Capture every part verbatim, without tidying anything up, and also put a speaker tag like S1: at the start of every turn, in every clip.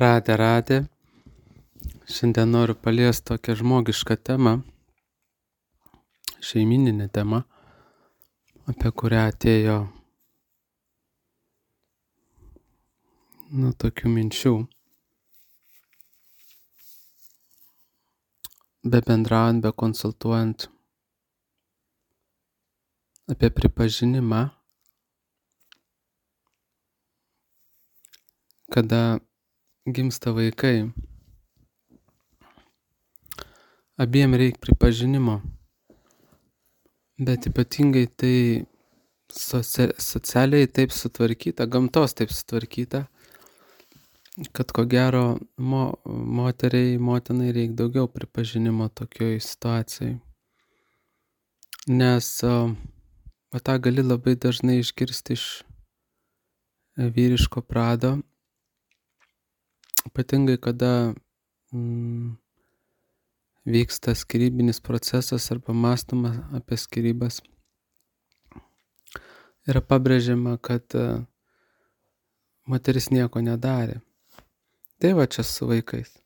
S1: Radė, radė. Šiandien noriu paliesti tokią žmogišką temą, šeimyninę temą, apie kurią atėjo nu, tokių minčių. Be bendraujant, be konsultuojant apie pripažinimą, kada gimsta vaikai. Abiem reikia pripažinimo, bet ypatingai tai socia- socialiai taip sutvarkyta, gamtos taip sutvarkyta, kad ko gero mo, moteriai, motinai reikia daugiau pripažinimo tokioj situacijai. Nes o, o tą gali labai dažnai išgirsti iš vyriško prado, ypatingai kada mm, vyksta skirybinis procesas arba mąstoma apie skyrybas. Yra pabrėžiama, kad uh, moteris nieko nedarė. Tai va čia su vaikais.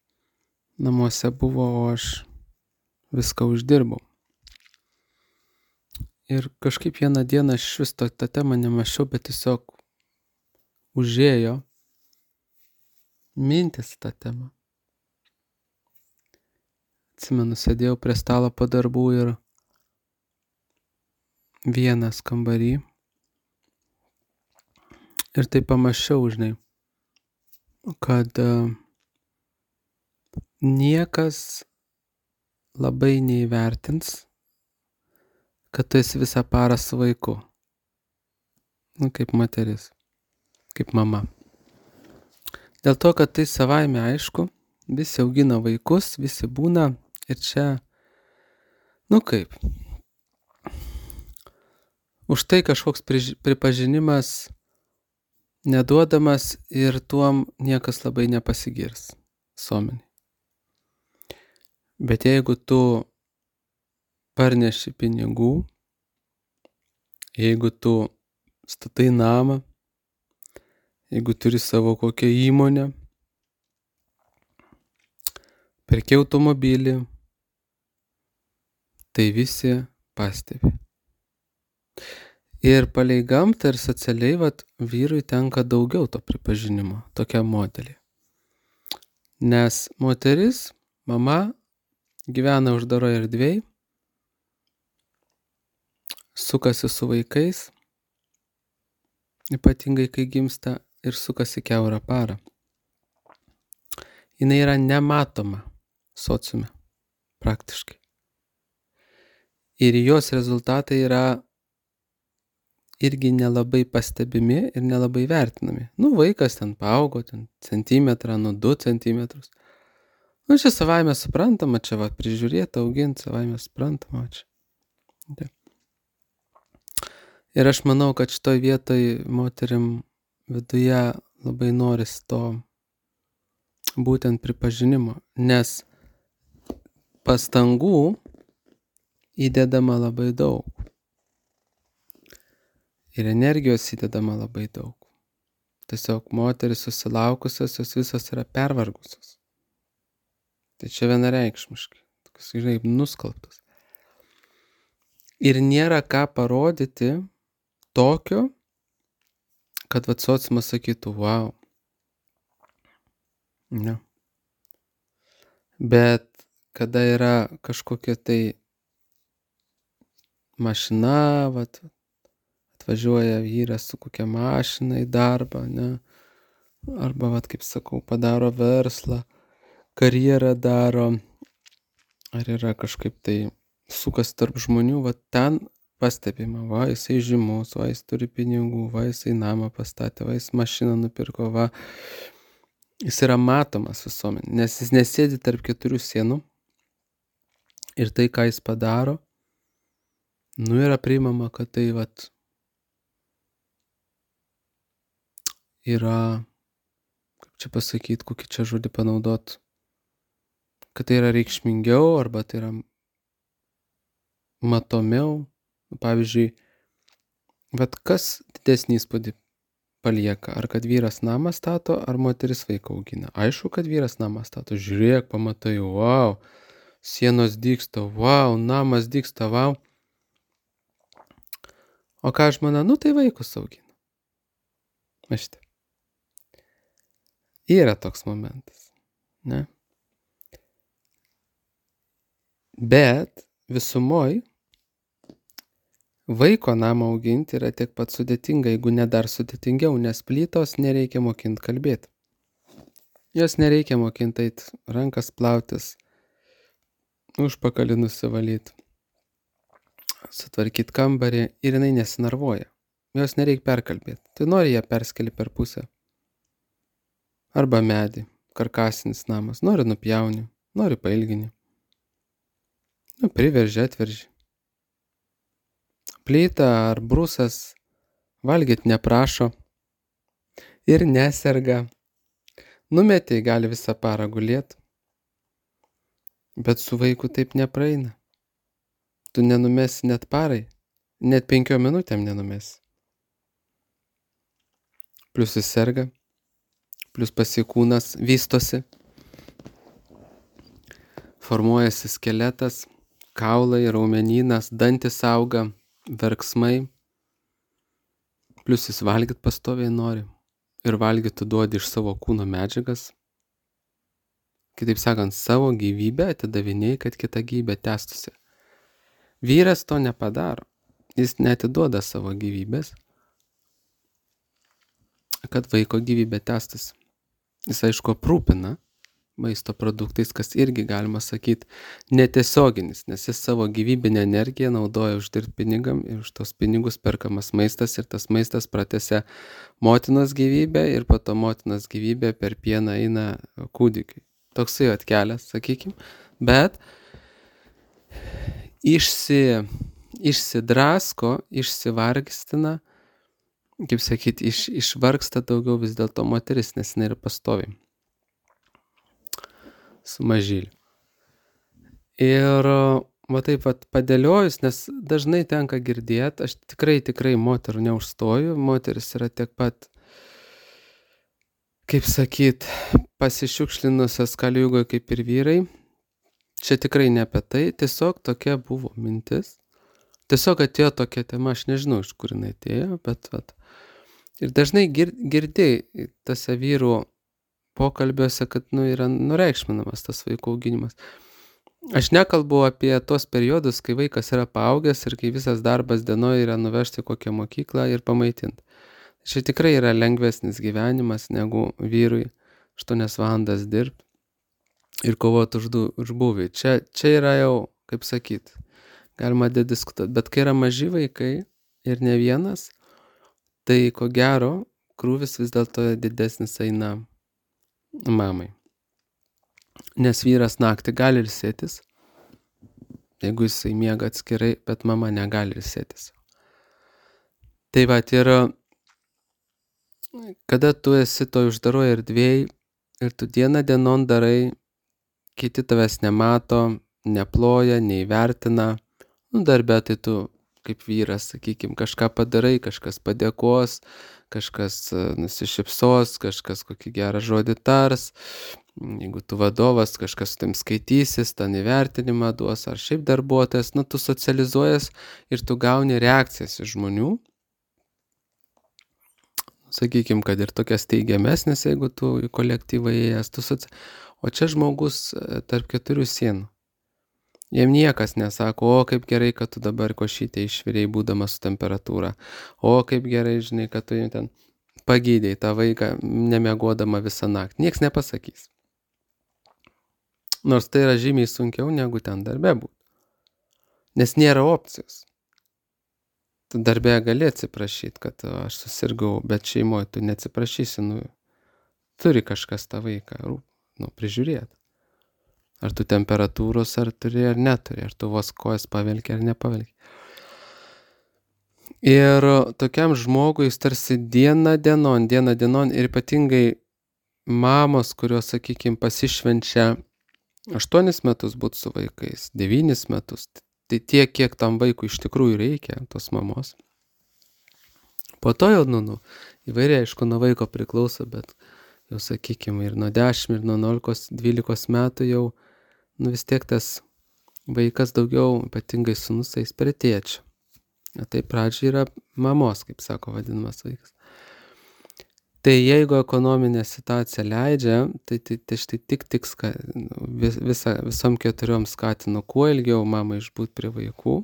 S1: Namuose buvo, o aš viską uždirbau. Ir kažkaip vieną dieną aš vis to, tą temą nemačiau, bet tiesiog užėjo mintis tą temą. Atsimenu, sėdėjau prie stalo po darbų ir vienas kambarį. Ir tai pamačiau, žinai, kad uh, niekas labai neįvertins, kad tu esi visą parą su vaiku. Nu, kaip moteris, kaip mama. Dėl to, kad tai savaime aišku, visi augina vaikus, visi būna ir čia, nu kaip, už tai kažkoks priž- pripažinimas neduodamas ir tuom niekas labai nepasigirs visuomeniai. Bet jeigu tu parneši pinigų, jeigu tu statai namą, jeigu turi savo kokią įmonę, perki automobilį, tai visi pastebi. Ir palei gamtą ir socialiai vat, vyrui tenka daugiau to pripažinimo, tokia modelė. Nes moteris, mama, gyvena uždaroje erdvėje, sukasi su vaikais, ypatingai kai gimsta ir sukasi kiaurą parą. Jinai yra nematoma sociume, praktiškai. Ir jos rezultatai yra irgi nelabai pastebimi ir nelabai vertinami. Nu, vaikas ten paaugo, ten centimetrą, nu du centimetrus. Nu, čia savaime suprantama, čia va prižiūrėti, auginti, savaime suprantama čia. Ja. Ir aš manau, kad šitoj vietoj moterim viduje labai noris to būtent pripažinimo, nes pastangų įdedama labai daug. Ir energijos įdedama labai daug. Tiesiog moteris susilaukusios, jos visos yra pervargusios. Tai čia vienareikšmiškai, tokios, žinai, nuskalbtos. Ir nėra ką parodyti tokio, kad vat sociumas sakytų, wow. Ne. Bet kada yra kažkokia tai mašina, vat, atvažiuoja vyras su kokia mašina į darbą, ne? Arba, vat, kaip sakau, padaro verslą, karjerą daro, ar yra kažkaip tai sukas tarp žmonių, vat ten pastebima, va, jisai žymus, va, jis turi pinigų, va, jisai namą pastatė, va, jis mašiną nupirko, va. Jis yra matomas visuomenė, nes jis nesėdi tarp keturių sienų ir tai, ką jis padaro, nu yra priimama, kad tai, vat, yra, kaip čia pasakyti, kokį čia žodį panaudot, kad tai yra reikšmingiau arba tai yra matomiau. Pavyzdžiui, vat kas didesnį įspūdį palieka? Ar kad vyras namą stato, ar moteris vaiką augina? Aišku, kad vyras namą stato. Žiūrėk, pamatai, wow, sienos dygsta, wow, namas dygsta, wow. O ką žmona? Nu, tai vaikus augina. Maštai. Yra toks momentas, ne? Bet visumoj vaiko namą auginti yra tiek pat sudėtinga, jeigu ne dar sudėtingiau, nes plytos nereikia mokinti kalbėti. Jos nereikia mokinti eit rankas plautis, užpakalį nusivalyti, sutvarkyti kambarį ir jinai nesinarvoja. Jos nereikia perkalbėti. Tai nori ją perskeli per pusę. Arba medį, karkasinis namas. Nori nupjauni, nori pailgini. Nu, priverži, atverži. Plyta ar brusas valgyt neprašo ir neserga. Numetei gali visą parą gulėti, bet su vaiku taip nepraeina. Tu nenumesi net parai, net penkiom minutėm nenumesi. Plius jis serga, plius pasikūnas vystosi, formuojasi skeletas, kaulai, raumenynas, dantis auga, verksmai, plius jis valgyt pastoviai nori ir valgyt tu duodi iš savo kūno medžiagas. Kitaip sakant, savo gyvybę atidavinėjai, kad kita gyvybė tęstusi. Vyras to nepadaro, jis neatiduoda savo gyvybės, kad vaiko gyvybė tęstusi. Jis aišku aprūpina maisto produktais, kas irgi galima sakyti netiesioginis, nes jis savo gyvybinę energiją naudoja uždirbti pinigam ir už tos pinigus perkamas maistas ir tas maistas pratęsia motinos gyvybę ir po to motinos gyvybė per pieną eina kūdikiui. Toksai atkelias, sakykim, bet išsi, išsidrasko, išsivargstina, kaip sakyti, iš, išvargsta daugiau vis dėlto moteris, nes jinai yra pastoviai su mažyliu. Ir va taip vat padėliojus, nes dažnai tenka girdėti, aš tikrai, tikrai moterų neužstoju, moteris yra tiek pat, kaip sakyt, pasišiukšlinusios kaliugoje kaip ir vyrai. Čia tikrai ne apie tai, tiesiog tokia buvo mintis. Tiesiog atėjo tokia tema, aš nežinau, iš kur jinai atėjo, bet vat. Ir dažnai gir, girdėjai tose vyrų pokalbiuose, kad nu, yra nureikšminamas tas vaikų auginimas. Aš nekalbu apie tos periodus, kai vaikas yra paaugęs ir kai visas darbas dienoje yra nuvežti kokią mokyklą ir pamaitinti. Čia tikrai yra lengvesnis gyvenimas negu vyrui aštuonias valandas dirbti ir kovoti už, už būvį. Čia, čia yra jau, kaip sakyt, galima dediskutuoti. Bet kai yra maži vaikai ir ne vienas, tai ko gero krūvis vis dėlto didesnis eina mamai. Nes vyras naktį gali ilsėtis, jeigu jisai miega atskirai, bet mama negali ilsėtis. Tai va, ir kada tu esi toj uždaroje erdvėj ir tu dieną dienon darai, kiti tavęs nemato, neploja, neįvertina, nu darbė tai tu kaip vyras, sakykim, kažką padarai, kažkas padėkos, kažkas nusišypsos, kažkas kokį gerą žodį tars, jeigu tu vadovas, kažkas su tam skaitysis, ten įvertinimą duos, ar šiaip darbuotojas, nu tu socializuojas ir tu gauni reakcijas iš žmonių. Sakykim, kad ir tokias teigiamesnės, jeigu tu į kolektyvą įėjęs, tu soci... O čia žmogus tarp keturių sienų. Jiem niekas nesako, o kaip gerai, kad tu dabar košytę išvirėjai būdamas su temperatūra. O kaip gerai, žinai, kad tu ten pagydėjai tą vaiką nemiegodama visą naktį. Nieks nepasakys. Nors tai yra žymiai sunkiau negu ten darbe būtų. Nes nėra opcijos. Tu darbe gali atsiprašyti, kad aš susirgau, bet šeimoje tu neatsiprašysi. Nu, turi kažkas tą vaiką nu, prižiūrėti. Ar tu temperatūros, ar turi, ar neturi, ar tu vos kojas pavelki, ar nepavelki. Ir tokiam žmogui jis tarsi diena dienon, diena dienon ir ypatingai mamos, kurios, sakykime, pasišvenčia aštuonis metus būt su vaikais, devynis metus, tai tiek, kiek tam vaikui iš tikrųjų reikia, tos mamos. Po to jau, nu, nu, Įvairiai, aišku, nuo vaiko priklauso, bet jau sakykime ir nuo dešimt, ir nuo nuolikos, dvylikos metų jau, nu vis tiek tas vaikas daugiau, ypatingai sūnus, eis prie tėčio. O tai pradžiai yra mamos, kaip sako, vadinamas vaikas. Tai jeigu ekonominė situacija leidžia, tai, tai, tai štai tik tik ska, vis, visa, visom keturiom skatinu kuo ilgiau mamą išbūt prie vaikų,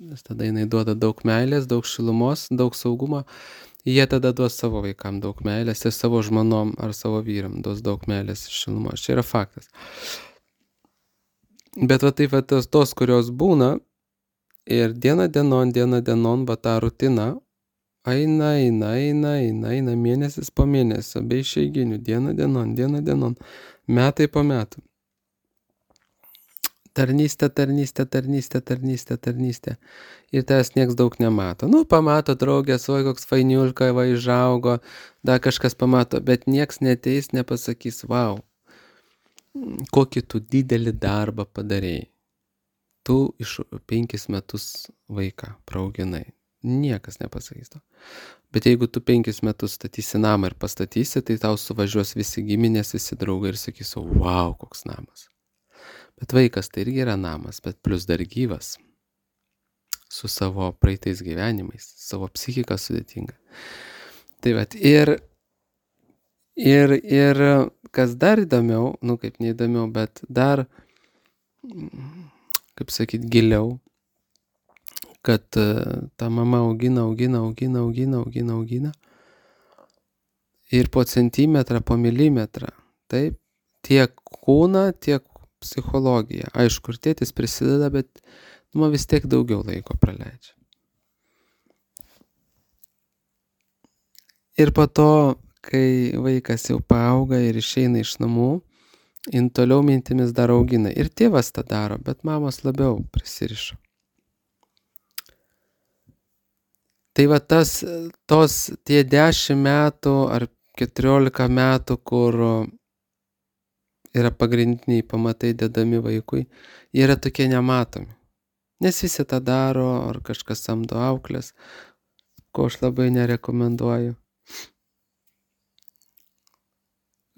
S1: nes tada jinai duoda daug meilės, daug šilumos, daug saugumo. Jie tada duos savo vaikam daug meilės ir savo žmonom ar savo vyram duos daug meilės ir šilumos. Čia yra faktas. Bet va taip va tos, tos kurios būna ir diena dienon, diena dienon, va tą rutiną, eina, eina, eina, eina, eina, mėnesis po mėnesio, be išeiginių, diena dienon, diena dienon, metai po metų. Tarnystė, tarnystė, tarnystė, tarnystė, tarnystė. Ir tas nieks daug nemato. Nu, pamato draugės, oi, koks fainiulka, va, išaugo, dar kažkas pamato, bet nieks neteis, nepasakys, vau, kokį tu didelį darbą padarėjai. Tu iš penkis metus vaiką praauginai. Niekas nepasakys to. Bet jeigu tu penkis metus statysi namą ir pastatysi, tai tau suvažiuos visi giminės, visi draugai ir sakys, vau, koks namas. Bet vaikas tai irgi yra namas, bet plus dar gyvas. Su savo praeitais gyvenimais, savo psichika sudėtinga. Tai vat, ir, ir, ir kas dar įdomiau, nu kaip neįdomiau, bet dar, kaip sakyt, giliau, kad ta mama augina, augina, augina, augina, augina, augina. Ir po centimetrą, po milimetrą, taip, tiek kūną, tiek psichologiją. Aišku, ir tėtis prisideda, bet nu, vis tiek daugiau laiko praleidžia. Ir po to, kai vaikas jau paauga ir išeina iš namų, jin toliau mintimis dar augina. Ir tėvas tą daro, bet mamos labiau prisiriša. Tai va tas, tos tie dešimt metų ar keturiolika metų, kur yra pagrindiniai pamatai dedami vaikui, jie yra tokie nematomi. Nes visi tą daro, ar kažkas samdo auklės, ko aš labai nerekomenduoju.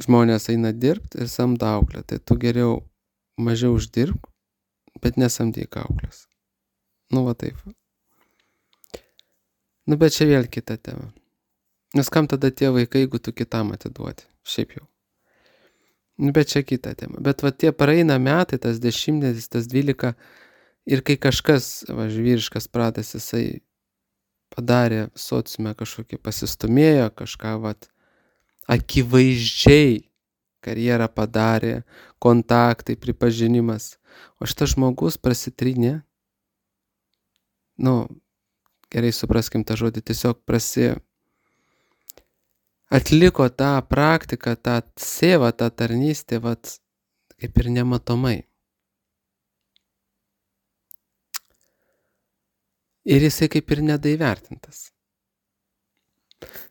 S1: Žmonės eina dirbti ir samdo auklę, tai tu geriau mažiau uždirbk, bet nesamdyk auklės. Nu va taip. Nu bet čia vėl kita tema. Nes kam tada tie vaikai, jeigu tu kitam atiduoti? Šiaip jau. Nu bet čia kita tema. Bet va tie praeina metai, tas dešimtmetis, tas dvylika, ir kai kažkas, va, vyriškas pradas, jisai padarė sociume kažkokį, pasistumėjo kažką, va, akivaizdžiai karjerą padarė, kontaktai, pripažinimas. O šitas žmogus prasitrynė, nu, gerai supraskim tą žodį, tiesiog prasi atliko tą praktiką, tą sėvą, tą tarnystę, vat, kaip ir nematomai. Ir jisai kaip ir nedaivertintas.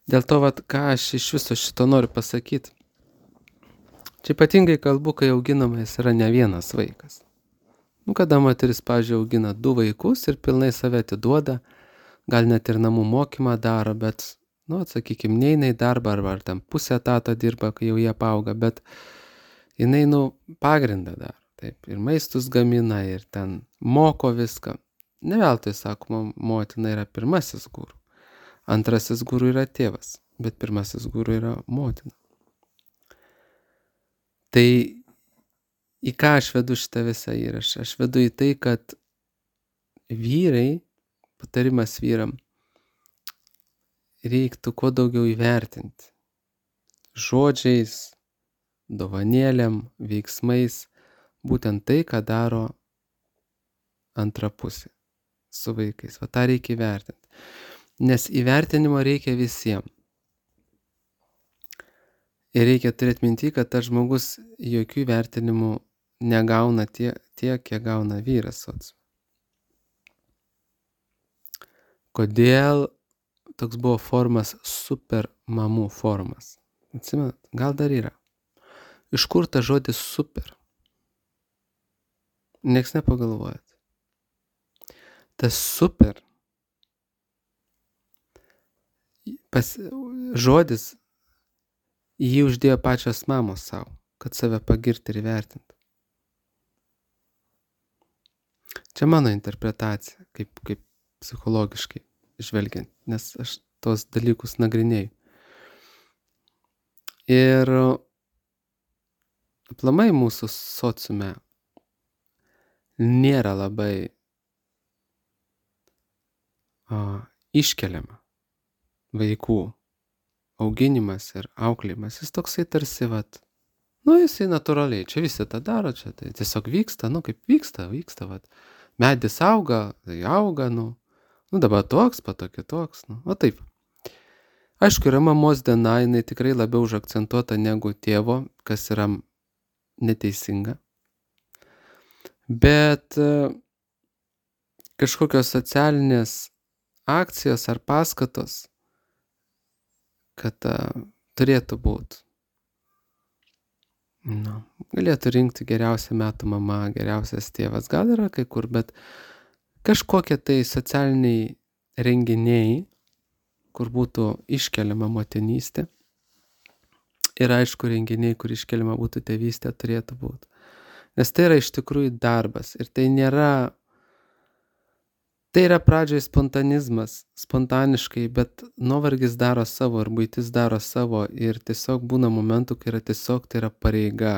S1: Dėl to, vat, ką aš iš viso šito noriu pasakyti. Čia ypatingai kalbu, kai auginamas yra ne vienas vaikas. Nu, kada moteris, pavyzdžiui, augina du vaikus ir pilnai save atiduoda, gal net ir namų mokymą daro, bet, nu, atsakykim, neina į darbą, arba ar ten pusę etato dirba, kai jau jie paauga, bet jinai, nu, pagrindą daro, taip, ir maistus gamina, ir ten moko viską. Ne veltui, sakoma, motina yra pirmasis guru. Antrasis guru yra tėvas, bet pirmasis guru yra motina. Tai į ką aš vedu šitą visą įrašą? Aš vedu į tai, kad vyrai, patarimas vyram, reiktų kuo daugiau įvertinti. Žodžiais, dovanėlėm, veiksmais, būtent tai, ką daro antra pusė su vaikais. Va tą reikia įvertinti. Nes įvertinimo reikia visiems. Ir reikia turėti minti, kad tas žmogus jokių įvertinimų negauna tiek, tiek kiek gauna vyras sociume. Kodėl toks buvo formas super mamų formas? Atsimenat, gal dar yra. Iš kur ta žodis super? Nieks nepagalvojat. Tas super pas, žodis jį uždėjo pačios mamos savo, kad save pagirti ir įvertinti. Čia mano interpretacija, kaip, kaip psichologiškai žvelgiant, nes aš tos dalykus nagrinėjau. Ir aplamai mūsų sociume nėra labai o, iškeliama vaikų auginimas ir auklėjimas. Jis toksai tarsi, vat, nu jisai natūraliai, čia visi tą daro, čia tai tiesiog vyksta, nu kaip vyksta, vyksta, vat. Medis auga, tai auga, nu, nu dabar toks, pato kitoks, nu, o taip. Aišku, yra mamos diena, jinai tikrai labiau užakcentuota negu tėvo, kas yra neteisinga. Bet kažkokios socialinės akcijos ar paskatos, kad uh, turėtų būti. Nu, galėtų rinkti geriausią metų mama, geriausias tėvas, gal yra kai kur, bet kažkokie tai socialiniai renginiai, kur būtų iškeliama motinystė. Ir aišku, renginiai, kur iškeliama būtų tėvystė, turėtų būti. Nes tai yra iš tikrųjų darbas. Ir tai nėra, tai yra pradžioje spontanizmas, spontaniškai, bet nuovargis daro savo ir buitis daro savo. Ir tiesiog būna momentų, kai yra tiesiog tai yra pareiga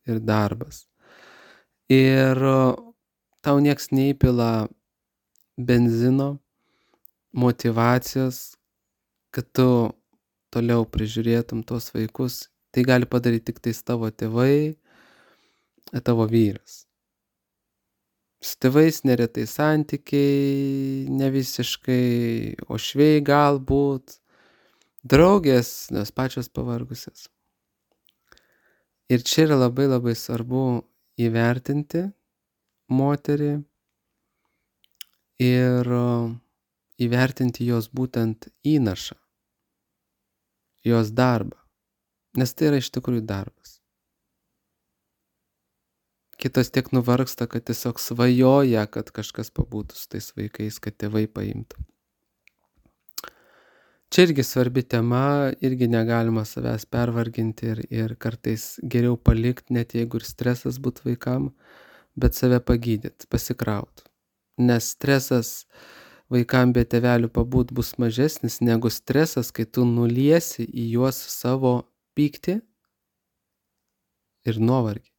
S1: ir darbas. Ir tau nieks neįpila benzino, motyvacijos, kad tu toliau prižiūrėtum tuos vaikus. Tai gali padaryti tik tais tavo tėvai, tavo vyras. Su tėvais neretai santykiai, ne visiškai, ošviai galbūt, draugės, nes pačios pavargusios. Ir čia yra labai labai svarbu įvertinti moterį ir įvertinti jos būtent įnašą, jos darbą, nes tai yra iš tikrųjų darbas. Kitos tiek nuvargsta, kad tiesiog svajoja, kad kažkas pabūtų su tais vaikais, kad tėvai paimtų. Čia irgi svarbi tema, irgi negalima savęs pervarginti ir, ir kartais geriau palikti, net jeigu ir stresas būtų vaikam, bet save pagydyti, pasikrauti. Nes stresas vaikam be tėvelių pabūt bus mažesnis negu stresas, kai tu nuliesi į juos savo pyktį ir nuovargį.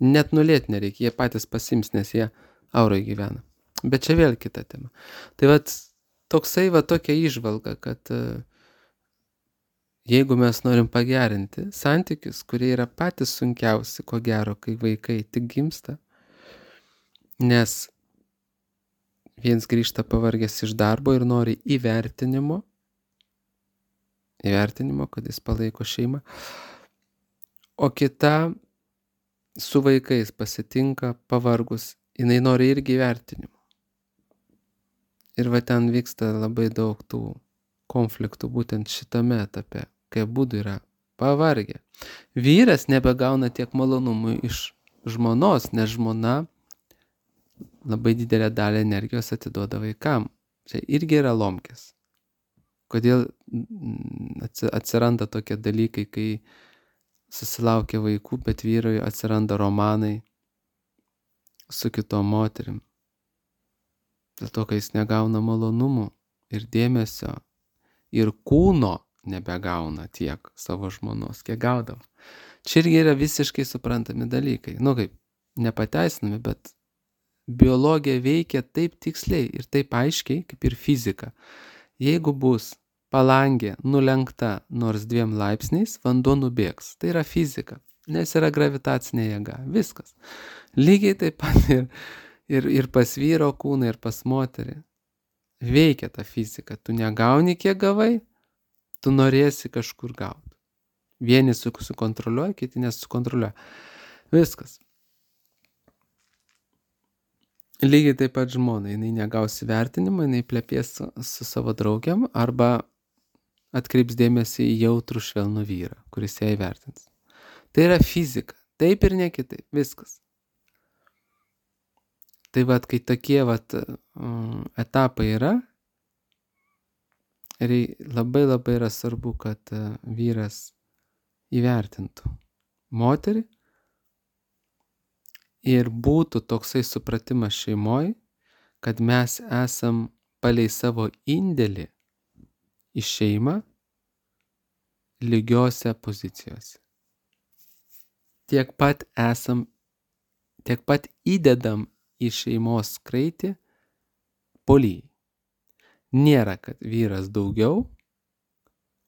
S1: Net nulėti nereikia, jie patys pasims, nes jie aurai gyvena. Bet čia vėl kita tema. Tai vat toksai va tokia įžvalga, kad uh, jeigu mes norim pagerinti santykius, kurie yra patys sunkiausi, ko gero, kai vaikai tik gimsta, nes viens grįžta pavargęs iš darbo ir nori įvertinimo, įvertinimo, kad jis palaiko šeimą, o kita su vaikais pasitinka pavargus, jinai nori irgi įvertinimo. Ir va ten vyksta labai daug tų konfliktų būtent šitame etape, kai abudu yra pavargę. Vyras nebegauna tiek malonumų iš žmonos, nes žmona labai didelę dalį energijos atiduoda vaikam. Čia irgi yra lomkės. Kodėl atsiranda tokie dalykai, kai susilaukia vaikų, bet vyrui atsiranda romanai su kitom moterim. Dėl to, kai jis negauna malonumų ir dėmesio ir kūno nebegauna tiek savo žmonos, kiek gaudavo. Čia irgi yra visiškai suprantami dalykai. Nu kaip, nepateisinami, bet biologija veikia taip tiksliai ir taip aiškiai, kaip ir fizika. Jeigu bus palangė nulenkta nors dviem laipsniais, vanduo nubėgs. Tai yra fizika, nes yra gravitacinė jėga. Viskas. Lygiai taip pat ir, ir, ir pas vyro kūną, ir pas moterį. Veikia ta fizika. Tu negauni, kiek gavai, tu norėsi kažkur gauti. Vieni sukontroliuoja, kiti nesukontroliuoja. Viskas. Lygiai taip pat žmona, jinai negaus įvertinimą, jinai plepės su, su savo draugiam arba atkreips dėmesį į jautrų švelnų vyrą, kuris ją įvertins. Tai yra fizika, taip ir ne kitaip, viskas. Tai vat, kai tokie vat, um, etapai yra, rei- labai labai yra svarbu, kad e, vyras įvertintų moterį ir būtų toksai supratimas šeimoj, kad mes esam palei savo indėlį į šeimą lygiose pozicijose. Tiek pat esam, tiek pat įdedam į šeimos kraitį po lygiai. Nėra, kad vyras daugiau,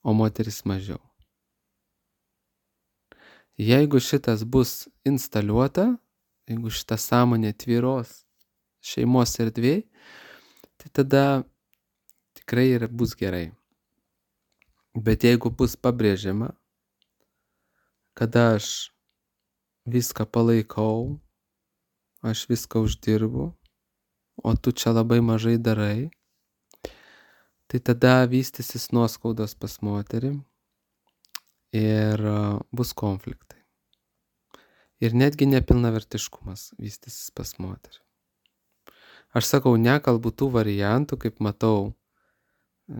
S1: o moteris mažiau. Jeigu šitas bus instaliuota, jeigu šita sąmonė tvyros šeimos erdvėj, tai tada tikrai ir bus gerai. Bet jeigu bus pabrėžiama, kad aš viską palaikau, aš viską uždirbu, o tu čia labai mažai darai, tai tada vystysis nuoskaudos pas moterį ir bus konfliktai. Ir netgi nepilnavertiškumas vystysis pas moterį. Aš sakau, nekalbu tų variantų, kaip matau, e,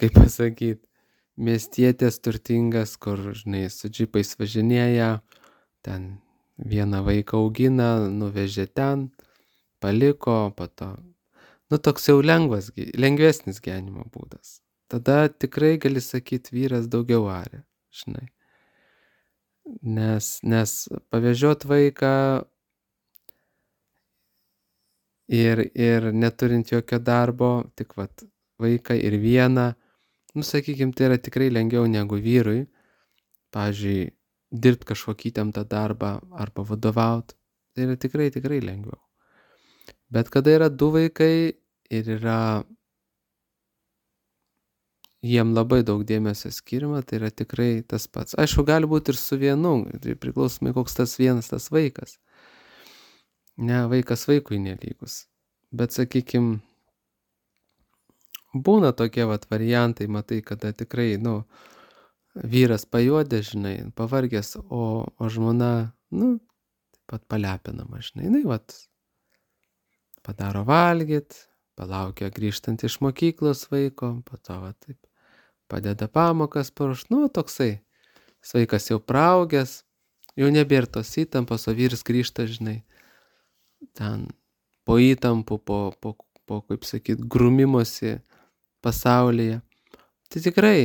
S1: kaip pasakyti, miestietės turtingas, kur, žinai, su džipais važinėja, ten vieną vaiką augina, nuvežė ten, paliko, po to. Nu, toks jau lengvas, lengvesnis gyvenimo būdas. Tada tikrai gali sakyti, vyras daugiau arė, žinai. Nes, nes pavežiot vaiką ir, ir neturint jokio darbo, tik vat vaiką ir vieną, nu, sakykim, tai yra tikrai lengviau negu vyrui, pavyzdžiui, dirbti kažkokį įtemptą darbą arba vadovauti, tai yra tikrai, tikrai lengviau. Bet kada yra du vaikai ir yra jiem labai daug dėmesio skiriama, tai yra tikrai tas pats. Aišku, gali būti ir su vienu, tai priklausomai koks tas vienas tas vaikas. Ne, vaikas vaikui nelygus. Bet, sakykim, būna tokie vat variantai, matai, kada tikrai, nu, vyras pajuodė, žinai, pavargęs, o, o žmona, nu, taip pat palepinama, žinai, jinai, vat, padaro valgyt, palaukia grįžtant iš mokyklos vaiko, po to, va, taip, padeda pamokas paruošt, nu, toksai, vaikas jau praaugęs, jau nebėra tos įtampos, o vyras grįžta, žinai, ten po įtampų, po, po, po kaip sakyt, grūmimosi pasaulyje. Tai tikrai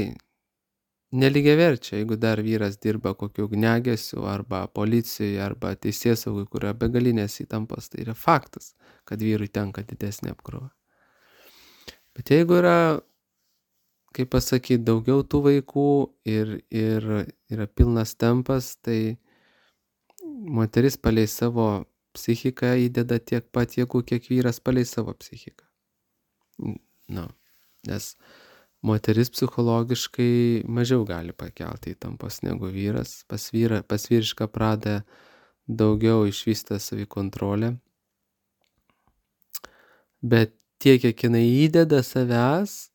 S1: nelygiaverčia, jeigu dar vyras dirba kokiu ugniagesiu arba policijoje arba teisėsaugai, kur yra begalinės įtampos, tai yra faktas, kad vyrui tenka didesnė apkrova. Bet jeigu yra, kaip pasakyti, daugiau tų vaikų ir, ir yra pilnas tempas, tai moteris palei savo psichiką įdeda tiek pat jėgų, kiek vyras palei savo psichiką. Nu, nes moteris psichologiškai mažiau gali pakelti įtampos negu vyras. Pas, vyra, pas vyrišką pradą daugiau išvysta savikontrolė. Bet tiek, kiek jinai įdeda savęs,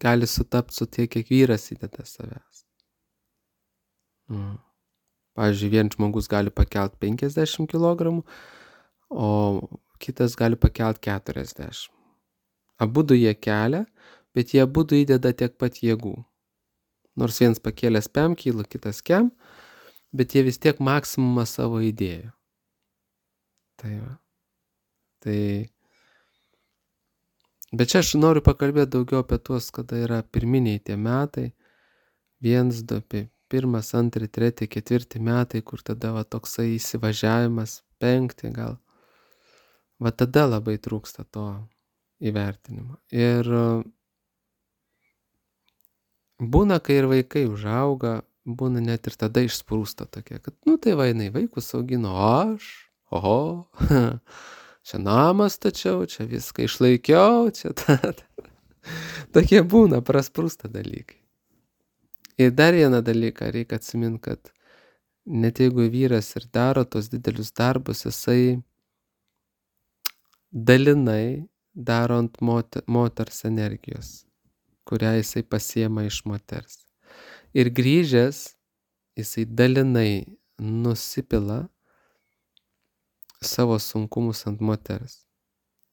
S1: gali sutapti su tiek, kiek vyras įdeda savęs. Mm. Pavyzdžiui, vien žmogus gali pakelti penkiasdešimt kilogramų, o kitas gali pakelti keturiasdešimt. Abudu jie kelia, bet jie abudu įdeda tiek pat jėgų. Nors vienas pakėlęs pem kilų, kitas kem, bet jie vis tiek maksimumą savo įdėjo. Tai va. Tai... Bet čia aš noriu pakalbėti daugiau apie tuos, kada yra pirminiai tie metai. Vienas, du, pirmas, antri, treti, ketvirti metai, kur tada va toksai įsivažiavimas, penkti gal. Va tada labai trūksta to įvertinimo. Ir būna, kai ir vaikai užauga, būna net ir tada išsprūsta tokie, kad, nu tai va, jinai vaikus augino, o aš, oho, čia namą stačiau, čia viską išlaikiau, čia ta, ta. Tokie būna, prasprūsta dalykai. Ir dar vieną dalyką reikia atsiminti, kad net jeigu vyras ir daro tos didelius darbus, jisai dalinai daro ant moter, moters energijos, kurią jisai pasiema iš moters. Ir grįžęs, jisai dalinai nusipila savo sunkumus ant moters.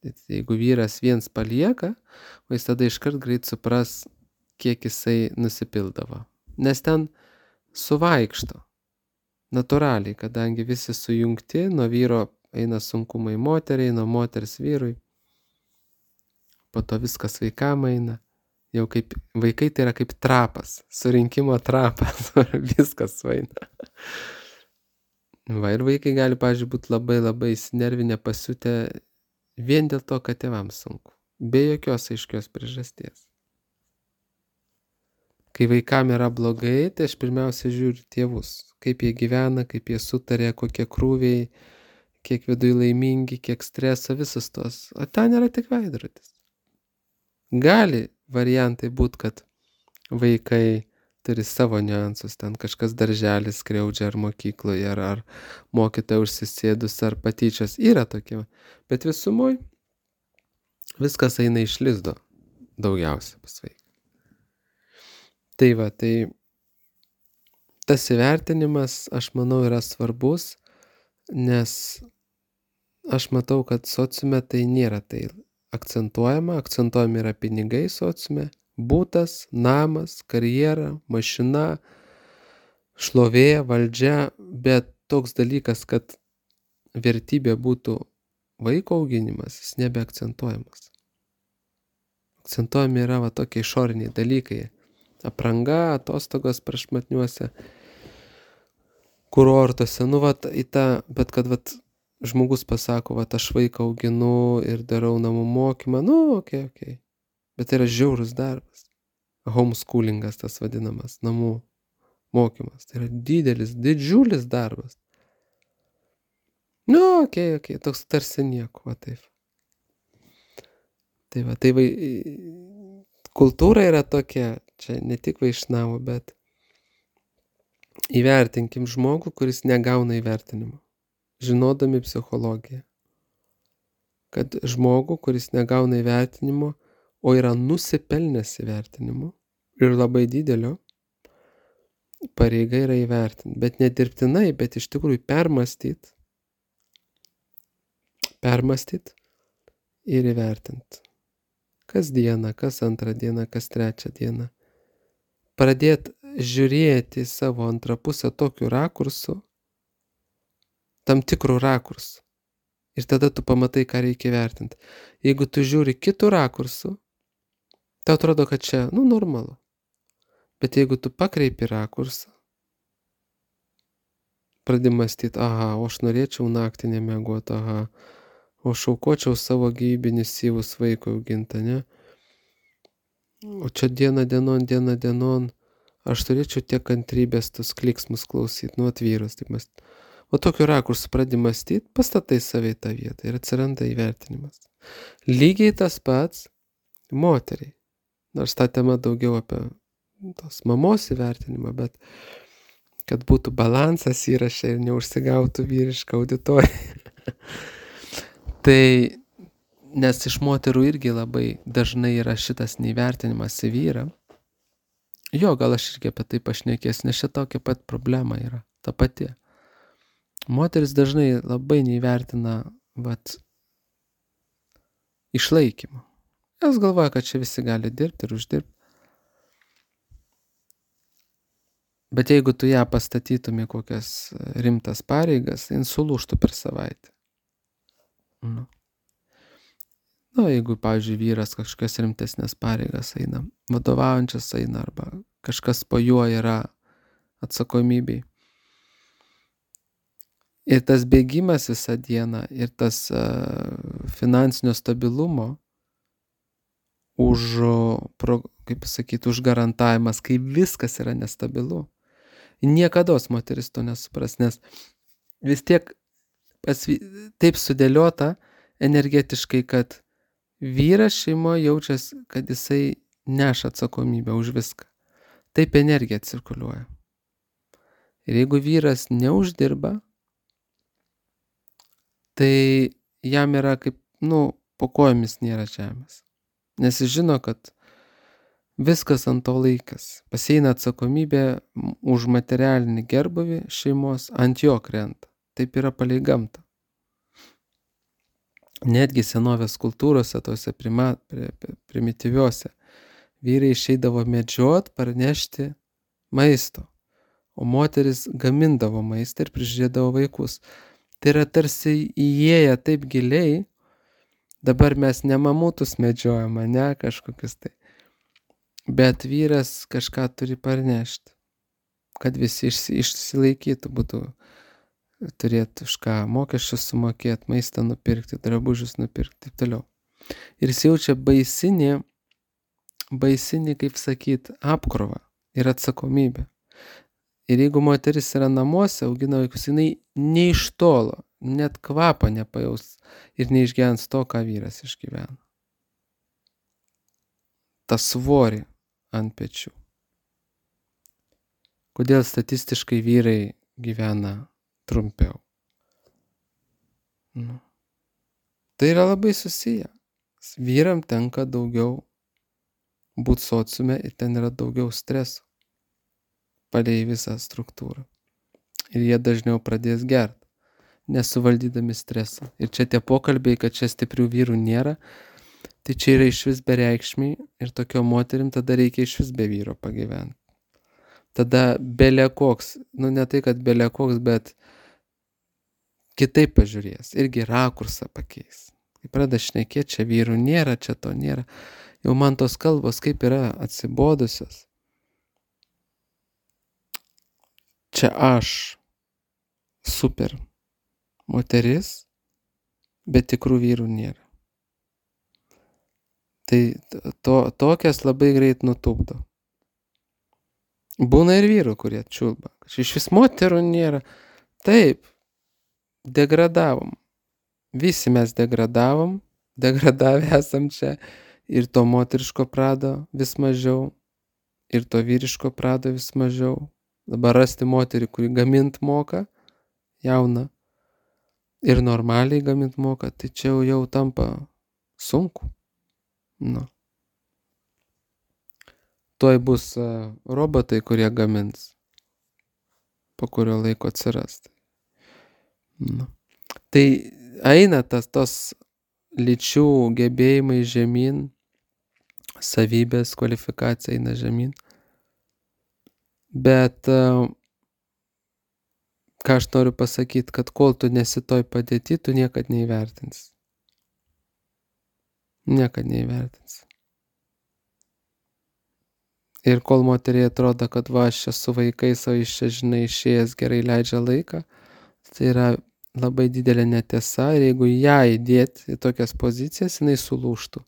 S1: Jeigu vyras viens palieka, o jis tada iškart greit supras, kiek jisai nusipildavo. Nes ten suvaikšto. Natūraliai, kadangi visi sujungti, nuo vyro eina sunkumai moteriai, nuo moters vyrui. Po to viskas vaikam eina. Jau kaip vaikai tai yra kaip trapas, surinkimo trapas, viskas sueina. Va, ir vaikai gali, pavyzdžiui, būti labai labai įsinervinę, pasiutę vien dėl to, kad tėvams sunku. Be jokios aiškios priežasties. Kai vaikam yra blogai, tai aš pirmiausia žiūriu tėvus. Kaip jie gyvena, kaip jie sutarė, kokie krūviai, kiek viduje laimingi, kiek streso, visus tos. O ten yra tik veidrodis. Gali variantai būti, kad vaikai turi savo niuansus, ten kažkas darželis skriaudžia ar mokykloje, ar, ar mokytoja užsisėdus, ar patyčios. Yra tokie. Bet visumoj viskas eina iš lizdo daugiausia pas vaiką. Tai va, tai tas įvertinimas, aš manau, yra svarbus, nes aš matau, kad sociume tai nėra tai akcentuojama, akcentuojami yra pinigai sociume, būtas, namas, karjera, mašina, šlovė, valdžia, bet toks dalykas, kad vertybė būtų vaiko auginimas, jis nebeakcentuojamas. Akcentuojami yra va tokie išoriniai dalykai. Apranga, atostogos prašmatniuose kurortuose, nu vat į tą, bet kad vat žmogus pasako, vat aš vaiką auginu ir darau namų mokymą, nu okei, okay, okei. Okay. Bet tai yra žiaurus darbas. Homeschoolingas tas vadinamas, namų mokymas. Tai yra didelis, didžiulis darbas. Nu okei, okay, okei, okay. Toks tarsi nieko, va taip. Tai va, tai vai, kultūra yra tokia, čia ne tik vaišnavų, bet įvertinkim žmogų, kuris negauna įvertinimo, žinodami psichologiją. Kad žmogų, kuris negauna įvertinimo, o yra nusipelnęs įvertinimo ir labai didelio, pareiga yra įvertinti. Bet nedirbtinai, bet iš tikrųjų permąstyti, permąstyti ir įvertinti. Kas dieną, kas antrą dieną, kas trečią dieną. Pradėti žiūrėti savo antrą pusę tokiu rakursu, tam tikrų rakursų. Ir tada tu pamatai, ką reikia vertinti. Jeigu tu žiūri kitų rakursų, tau atrodo, kad čia, nu, normalu. Bet jeigu tu pakreipi rakursą, pradedi mąstyti, aha, o aš norėčiau naktį nemiegoti, aha, o aš aukočiau savo gyvybinius syvus vaikui auginti, ne? O čia diena dienon, diena dienon, aš turėčiau tiek kantrybės tos kliksmus klausyti, nu atvyrus, taip mąstyti. O tokiu rakursu pradedi mąstyti, pastatai save į tą vietą ir atsiranda įvertinimas. Lygiai tas pats moteriai. Nors ta tema daugiau apie tos mamos įvertinimą, bet kad būtų balansas įraše ir neužsigautų vyriška auditorija. Tai, nes iš moterų irgi labai dažnai yra šitas neįvertinimas į vyrą. Jo, gal aš irgi apie tai pašnekės, nes čia tokia pat problema yra, ta pati. Moteris dažnai labai neįvertina, vat, išlaikymą. Jos galvoja, kad čia visi gali dirbti ir uždirbti. Bet jeigu tu ją pastatytum į kokias rimtas pareigas, jin sulūžtų per savaitę. Nu. Nu, jeigu, pavyzdžiui, vyras kažkokias rimtesnės pareigas eina, vadovaujančias eina, arba kažkas po juo yra atsakomybei. Ir tas bėgimas visą dieną, ir tas uh, finansinio stabilumo už, pro, kaip sakyti, už garantavimas, kai viskas yra nestabilu. Niekados moteris to nesupras, nes vis tiek pas, taip sudėliota energetiškai, kad vyras šeimoje jaučiasi, kad jisai neša atsakomybę už viską. Taip energija cirkuliuoja. Ir jeigu vyras neuždirba, tai jam yra kaip, nu, po kojomis nėra žemės. Nes jis žino, kad viskas ant to laikas. Pasieina atsakomybė už materialinį gerbūvį šeimos, ant jo krenta. Taip yra palei gamtą. netgi senovės kultūrose, tose prima, primityviuose, vyrai išeidavo medžiot, parnešti maisto, o moteris gamindavo maistą ir prižiūrėdavo vaikus. Tai yra tarsi įėję taip giliai, dabar mes ne mamutus medžiojam, ne kažkokius tai, bet vyras kažką turi parnešti, kad visi išsilaikytų, būtų turėti už ką mokesčius sumokėti, maistą nupirkti, drabužius nupirkti, taip toliau. Ir jis jaučia baisinį, baisinį, kaip sakyt, apkrovą ir atsakomybę. Ir jeigu moteris yra namuose, augina vaikus, jinai ne iš tolo, net kvapą nepajaus ir neišgyvens to, ką vyras išgyvena. Ta svorį ant pečių. Kodėl statistiškai vyrai gyvena trumpiau? Nu. Tai yra labai susiję. Vyram tenka daugiau būti sociume ir ten yra daugiau streso palei visą struktūrą. Ir jie dažniau pradės gerti, nesuvaldydami stresą. Ir čia tie pokalbiai, kad čia stiprių vyrų nėra, tai čia yra išvis bereikšmiai ir tokio moterim tada reikia išvis be vyro pagyventi. Tada belė koks, nu ne tai, kad belė koks, bet kitaip pažiūrės, irgi rakursą pakeis. Kai pradeda šnekėti, čia vyrų nėra, čia to nėra. Jau man tos kalbos kaip yra atsibodusios. Čia aš super moteris, bet tikrų vyrų nėra. Tai to, tokias labai greit nutupdo. Būna ir vyrų, kurie čiulba. Iš vis moterų nėra. Taip, degradavom. Visi mes degradavom, degradavę esam čia. Ir to moteriško prado vis mažiau, ir to vyriško prado vis mažiau. Dabar rasti moterį, kuri gamint moka, jauna, ir normaliai gamint moka, tai čia jau, jau tampa sunku. Nu. Tuoj bus uh, robotai, kurie gamins, po kurio laiko atsiras. Nu. Tai eina tas tos lyčių gebėjimai žemyn, savybės, kvalifikacija eina žemyn. Bet uh, ką aš noriu pasakyti, kad kol tu nesi toj padėti, tu niekad neįvertins. Niekad neįvertins. Ir kol moteriai atrodo, kad va, aš čia su vaikais, o iš čia, žinai, išėjęs gerai leidžia laiką, tai yra labai didelė netiesa. Ir jeigu ją įdėti į tokias pozicijas, jinai sulūžtų.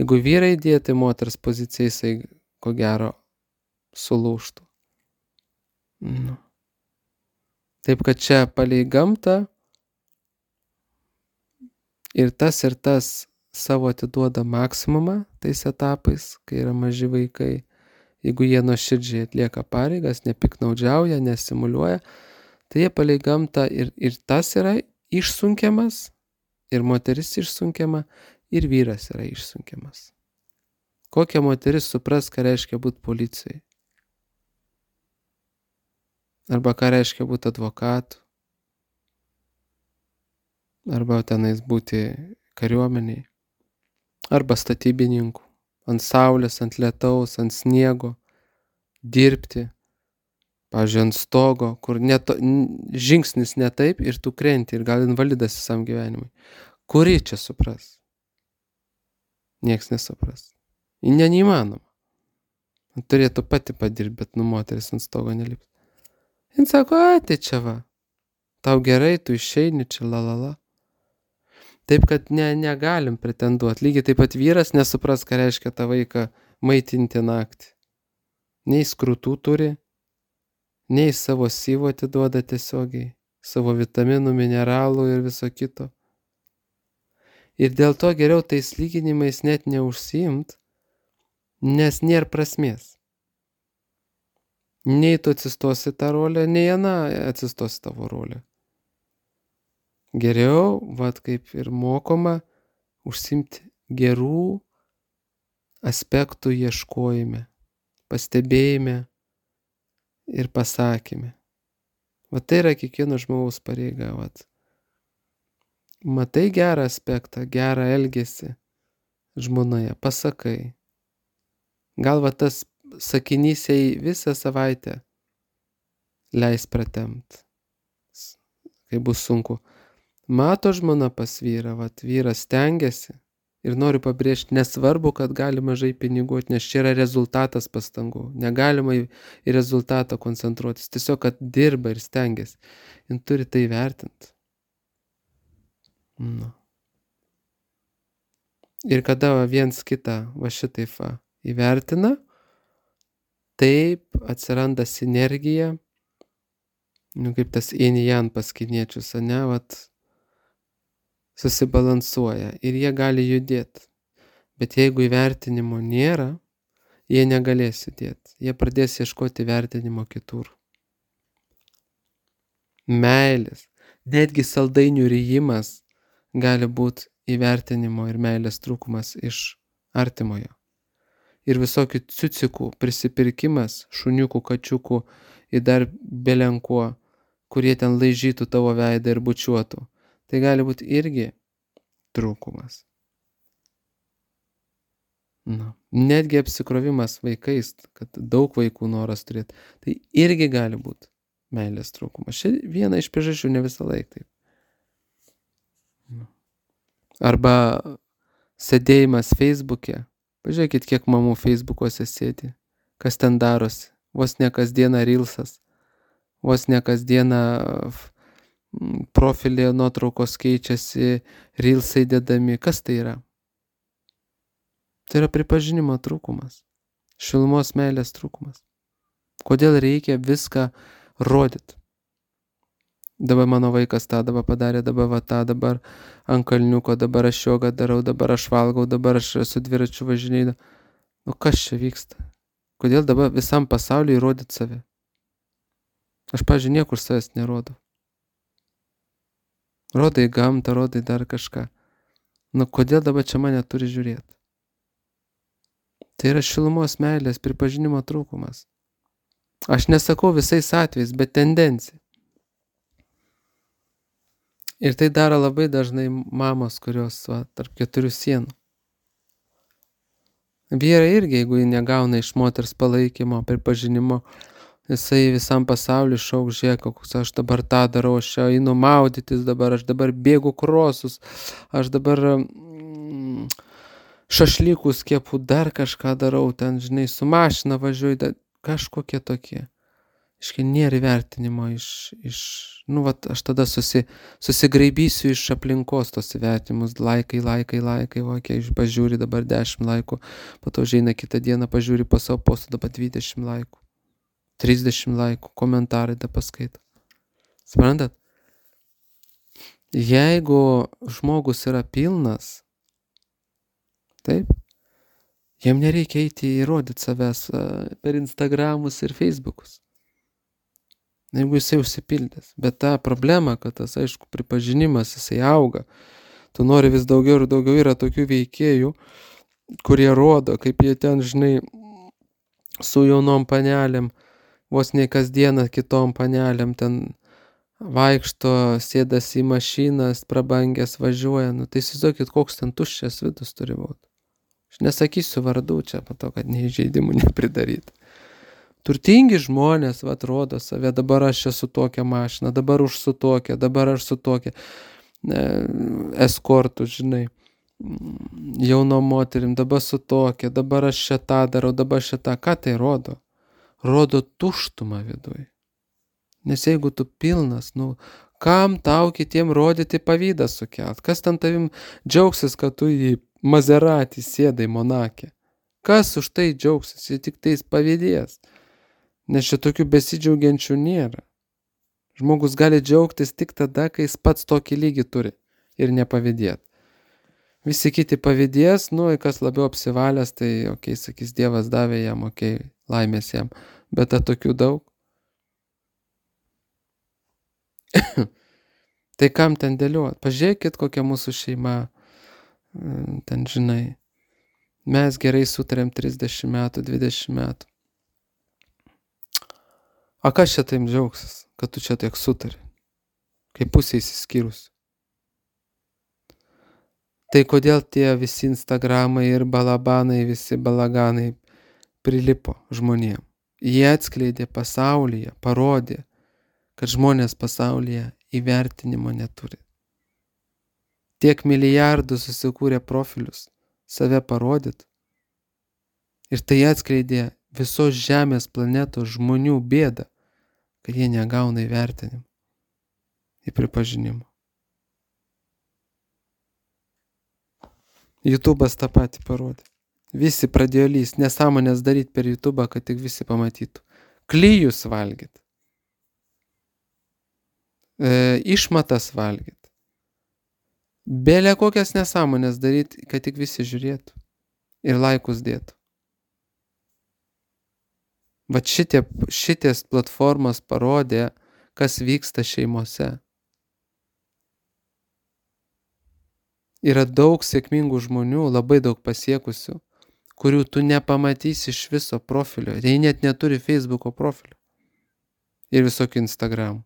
S1: Jeigu vyrai įdėti į moters poziciją, jisai ko gero sulūžtų. Nu. Taip, kad čia palei gamtą ir tas ir tas savo atiduoda maksimumą tais etapais, kai yra maži vaikai. Jeigu jie nuoširdžiai atlieka pareigas, nepiknaudžiauja, nesimuliuoja, tai jie palei gamtą ir, ir tas yra išsunkiamas, ir moteris išsunkiama, ir vyras yra išsunkiamas. Kokia moteris supras, ką reiškia būti policijai? Arba ką reiškia būti advokatu? Arba tenais būti kariuomeniai? Arba statybininkų? Ant saulės, ant lietaus, ant sniego, dirbti, pavyzdžiui, ant stogo, kur neto, žingsnis ne taip ir tu krenti ir gal invalidas visam gyvenimui. Kuri čia supras? Nieks nesupras. Ne, neįmanoma. Turėtų pati padirbti, bet nu moteris ant stogo nelips. Jis sako, a, tai čia va, tau gerai, tu išeini čia, lalala. Taip, kad ne, negalim pretenduoti. Lygiai taip pat vyras nesupras, ką reiškia tą vaiką maitinti naktį. Nei skrutų turi, nei savo syvo atiduoda tiesiogiai, savo vitaminų, mineralų ir viso kito. Ir dėl to geriau tais lyginimais net neužsiimt, nes nėra prasmės. Nei tu atsistosi tą rolę, nei ana atsistosi tavo rolę. Geriau, vat kaip ir mokoma, užsimti gerų aspektų ieškojime, pastebėjime ir pasakyme. Vat tai yra kiekvieno žmogaus pareiga. Vat. Matai gerą aspektą, gerą elgesį žmonoje, pasakai. Gal va tas sakinys jai visą savaitę leis pratempt, kai bus sunku. Mato žmona pas vyrą, vat vyras stengiasi ir noriu pabrėžti, nesvarbu, kad gali mažai pinigų, nes čia yra rezultatas pastangų. Negalima į, į rezultatą koncentruotis, tiesiog, kad dirba ir stengiasi. Jis turi tai vertinti. Nu. Ir kada va, viens kitą va šitaip va, įvertina, taip atsiranda sinergija, nu, kaip tas yin yang pas kiniečius, ane, vat, susibalansuoja ir jie gali judėti. Bet jeigu įvertinimo nėra, jie negalės judėti. Jie pradės ieškoti vertinimo kitur. Meilės. Netgi saldainių rijimas gali būti įvertinimo ir meilės trūkumas iš artimojo. Ir visokių ciucikų prisipirkimas, šuniukų, kačiukų ir dar belenkuo, kurie ten laižytų tavo veidą ir bučiuotų. Tai gali būti irgi trūkumas. Nu, netgi apsikrovimas vaikais, kad daug vaikų noras turėti, tai irgi gali būti meilės trūkumas. Šia viena iš priežasčių, ne visą laiką taip. Nu. Arba sėdėjimas Facebook'e. Pažiūrėkit, kiek mamų Facebook'uose sėdi. Kas ten darosi. Vos ne kasdieną reelsas. Vos ne kasdieną profilėje nuotraukos keičiasi, reelsai dedami. Kas tai yra? Tai yra pripažinimo trūkumas. Šilumos meilės trūkumas. Kodėl reikia viską rodyti? Dabar mano vaikas tą dabar padarė, dabar va tą, dabar ant kalniuko, dabar aš jogą darau, dabar aš valgau, dabar aš su dviračiu važinėju. Nu kas čia vyksta? Kodėl dabar visam pasauliui rodyti save? Aš, pavyzdžiui, niekur savęs nerodau. Rodai gamtą, rodai dar kažką. Nu kodėl dabar čia mane turi žiūrėti? Tai yra šilumos meilės pripažinimo trūkumas. Aš nesakau visais atvejais, bet tendencija. Ir tai daro labai dažnai mamos, kurios va, tarp keturių sienų. Vyrai irgi, jeigu jie negauna iš moters palaikymo, pripažinimo, jisai visam pasauliu šauk, žiūrėk, koks aš dabar tą darau, aš čia einu maudytis dabar, aš dabar bėgu krosus, aš dabar mm, šašlykus kepu, dar kažką darau, ten, žinai, su mašina važiuoju, da, kažkokie tokie. Iškai nėra įvertinimo iš, iš, nu, vat, aš tada susi, susigraibysiu iš aplinkos tos įvertinimus, laikai, laikai, laikai, va, kiek pažiūri dabar dešimt laikų, po to žaina kitą dieną pažiūri po savo postą, dabar dvidešimt laikų, trisdešimt laikų, komentarai da paskaito. Suprantat? Jeigu žmogus yra pilnas, taip, jam nereikia eiti įrodyti savęs per Instagramus ir Facebookus. Jeigu jisai užsipildęs. Bet ta problema, kad tas, aišku, pripažinimas, jisai auga. Tu nori vis daugiau ir daugiau, yra tokių veikėjų, kurie rodo, kaip jie ten, žinai, su jaunom panelėm, vos ne kasdieną kitom panelėm ten vaikšto, sėdas į mašinas, prabangęs važiuoja. Nu, tai įsivaizduokit, koks ten tuščias vidus turi būti. Aš nesakysiu vardų čia, pato, kad neįžeidimų nepridaryti. Turtingi žmonės, va, atrodo save, dabar aš čia su tokia mašina, dabar už su tokia, dabar aš su tokia e, eskortu, žinai, jauno moterim, dabar su tokia, dabar aš čia tą darau, dabar šitą. Ką tai rodo? Rodo tuštumą viduj. Nes jeigu tu pilnas, nu, kam tau kitiem rodyti pavydą sukelt? Kas ten tavim džiaugsis, kad tu į Maserati sėdai Monake? Kas už tai džiaugsis? Jie tik tais pavydės. Nes šitokių besidžiaugiančių nėra. Žmogus gali džiaugtis tik tada, kai jis pats tokį lygį turi ir nepavydėt. Visi kiti pavydės, nu, kas labiau apsivalęs, tai, okei, okay, sakys, Dievas davė jam, okei, okay, laimės jam. Bet ta tokių daug. Tai kam ten dėliuot? Pažiūrėkit, kokia mūsų šeima, ten, žinai, mes gerai sutarėm trisdešimt metų, dvidešimt metų. A kas čia taip džiaugsis, kad tu čia tiek sutari, kai pusė įsiskyrus? Tai kodėl tie visi Instagramai ir balabanai, visi balaganai prilipo žmonėm? Jie atskleidė pasaulyje, parodė, kad žmonės pasaulyje įvertinimo neturi. Tiek milijardų susikūrė profilius, save parodyt. Ir tai atskleidė visos Žemės planetos žmonių bėdą, kad jie negauna įvertinimo ir pripažinimo. YouTube'as tą patį parodė. Visi pradėjo lyst, nesąmonės daryti per YouTube'ą, kad tik visi pamatytų. Klijus valgyt. E, išmatas valgyt. Belė kokias nesąmonės daryti, kad tik visi žiūrėtų ir laikus dėtų. Vat šitie, šities platformos parodė, kas vyksta šeimose. Yra daug sėkmingų žmonių, labai daug pasiekusių, kurių tu nepamatysi iš viso profilio. Jie net neturi Facebooko profilio ir visokių Instagramų.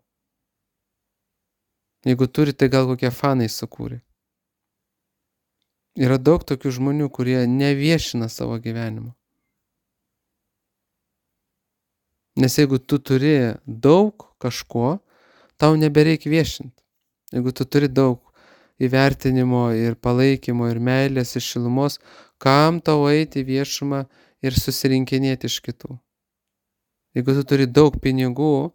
S1: Jeigu turi, tai gal kokie fanai sukūrė. Yra daug tokių žmonių, kurie neviešina savo gyvenimo. Nes jeigu tu turi daug kažko, tau nebereikia viešinti. Jeigu tu turi daug įvertinimo ir palaikymo ir meilės ir šilumos, kam tau eiti į viešumą ir susirinkinėti iš kitų? Jeigu tu turi daug pinigų,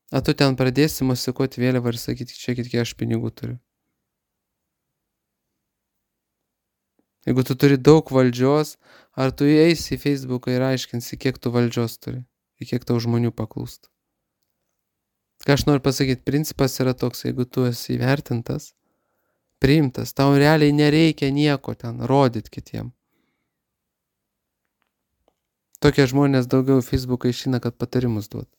S1: a tu ten pradėsi mosikuoti vėliavą ir sakyti, čia kiek aš pinigų turiu. Jeigu tu turi daug valdžios, ar tu eisi į Facebooką ir aiškinsi, kiek tu valdžios turi ir kiek tau žmonių paklūsta. Ką aš noriu pasakyti, principas yra toks, jeigu tu esi įvertintas, priimtas, tau realiai nereikia nieko ten rodyti kitiem. Tokie žmonės daugiau Facebooką išeina, kad patarimus duot.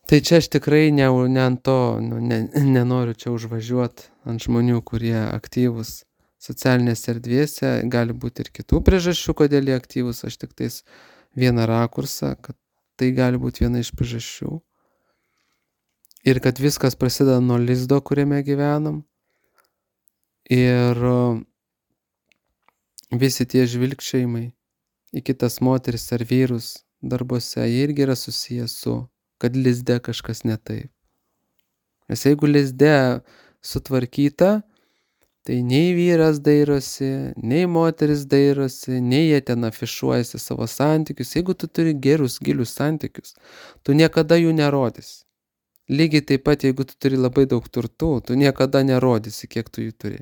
S1: Tai čia aš tikrai ne, ne ant to, nu, ne, nenoriu čia užvažiuoti ant žmonių, kurie aktyvus socialinėse erdvėse, gali būti ir kitų priežasčių, kodėl jie aktyvus, aš tik tais vieną rakursą, kad tai gali būti viena iš priežasčių. Ir kad viskas prasideda nuo lizdo, kuriame gyvenam. Ir visi tie žvilgčiojimai į kitas moteris ar vyrus darbuose irgi yra susijęs su, kad lizde kažkas ne taip. Nes jeigu lizde sutvarkyta, tai nei vyras dairosi, nei moteris dairosi, nei jie ten afišuojasi savo santykius. Jeigu tu turi gerus, gilius santykius, tu niekada jų nerodysi. Lygiai taip pat, jeigu tu turi labai daug turtų, tu niekada nerodysi, kiek tu jų turi.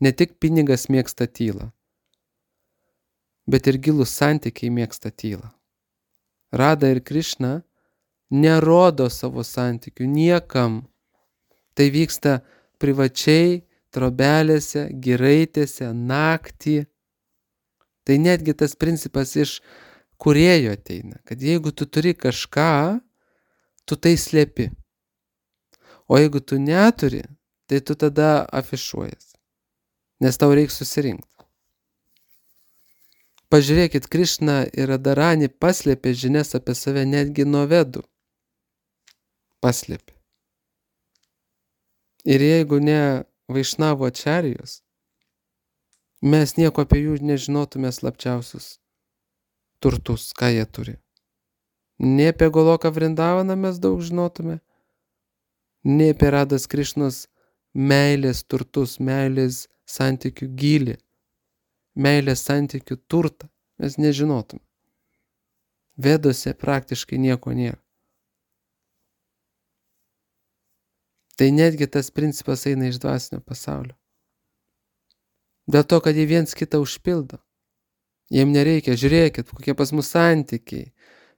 S1: Ne tik pinigas mėgsta tylą, bet ir gilus santykiai mėgsta tylą. Rada ir Krišna nerodo savo santykių niekam. Tai vyksta privačiai, trobelėse, giraitėse, naktį. Tai netgi tas principas iš kūrėjo ateina, kad jeigu tu turi kažką, tu tai slėpi. O jeigu tu neturi, tai tu tada afišuojas, nes tau reikia susirinkti. Pažiūrėkit, Krišna ir Radharani paslėpė žinias apie save netgi nuo vedų. Paslėpė. Ir jeigu ne Vaišnavo ačarijos, mes nieko apie jų nežinotume slapčiausius turtus, ką jie turi. Ne apie Goloką Vrindavaną mes daug žinotume, ne apie Rados Krišnos meilės turtus, meilės santykių gylį, meilės santykių turtą mes nežinotume. Vedose praktiškai nieko nėra. Tai netgi tas principas eina iš dvasinio pasaulio. Dėl to, kad jie viens kitą užpildo. Jiem nereikia, žiūrėkit, kokie pas mus santykiai.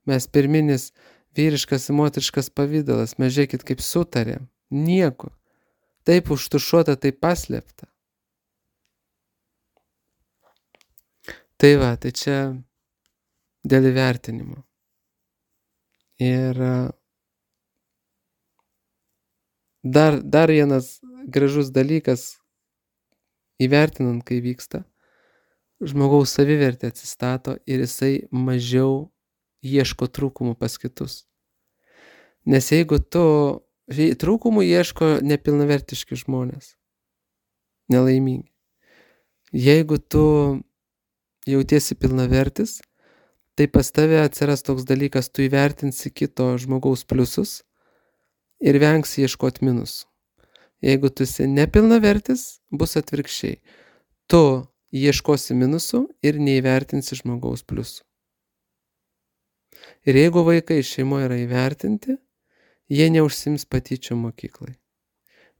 S1: Mes pirminis vyriškas ir moteriškas pavidalas, mes žiūrėkit, kaip sutarėm. Nieko. Taip užtušuota, taip paslėpta. Tai va, tai čia dėl įvertinimo. Ir dar, dar vienas gražus dalykas, įvertinant, kai vyksta, žmogaus savivertė atsistato ir jisai mažiau ieško trūkumų pas kitus. Nes jeigu tu Žinai, trūkumų ieško nepilnavertiški žmonės, nelaimingi. Jeigu tu jautiesi pilnavertis, tai pas tave atsiras toks dalykas, tu įvertinsi kito žmogaus pliusus ir vengsi ieškot minusų. Jeigu tu esi nepilnavertis, bus atvirkščiai. Tu ieškosi minusų ir neįvertinsi žmogaus pliusų. Ir jeigu vaikai šeimoje yra įvertinti, jie neužsiims patyčiom mokyklai.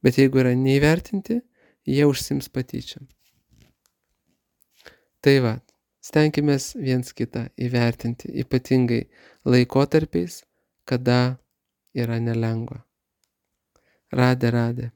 S1: Bet jeigu yra neįvertinti, jie užsiims patyčiom. Tai va, stenkimės viens kitą įvertinti, ypatingai laikotarpiais, kada yra nelengva. Radė, radė.